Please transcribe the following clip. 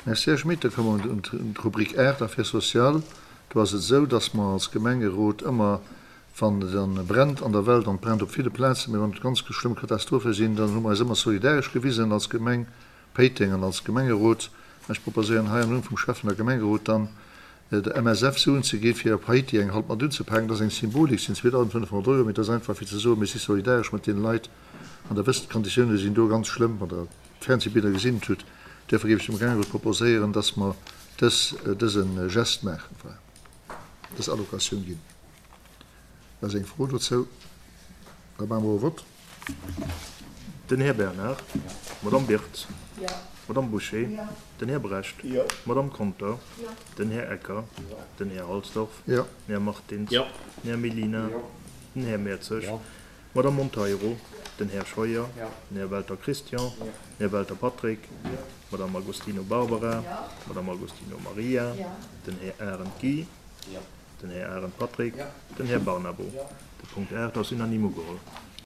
Merci, Här Schmit. Da komme mer un d'Rubrik 8, Affaires sociales. Do ass et esou, dass mer als Gemengerot ëmmer, wann et dann brennt an der Welt, an et brennt op ville Plazen, mee wann et ganz schlëmm Katastrophe sinn, dann hu mer eis ëmmer solidaresch gewisen als Gemeng Péiteng an als Gemengerot. Ech proposéieren hei am Numm vum Schäffen a Gemengerot dann, der MSF Suen ze gi fir op Haiti eng Hand mat unzepaken. Dat ass eng Symbolik, sinn 2.500 Euro, mee dat ass einfach fir ze soen, mir si solidaresch mat deene Leit. An Der wësst, d'Konditioune sinn do ganz schlëmm, wann Der d'Fernsehbiller gesinn hutt. Duerfir géif ech dem Gemengerot proposéieren, dass mer dës, dëse Geste maachen, voilà, dës Allocatioun ginn. Ass eng Fro dozou? Da maache mer e Vott. Den Här Bernard. D'Madame Birtz. D'Madame Bouché. Den Här Brecht. D'Madame Conter. Den Här Ecker. Den Här Halsdorf. Den Här Martins. Den Här Mellina. Den Här Mertzig. D'Madame Monteiro. Den Här Scheuer. Den Här Welter Christian. Den Här Welter Patrick. D'Madame Agostino Barbara. D'Madame Agostino Maria. Den Här Arendt Guy. Den Här Arendt Patrick. Den Här Barnabo. De Punkt 8 ass unanime ugeholl.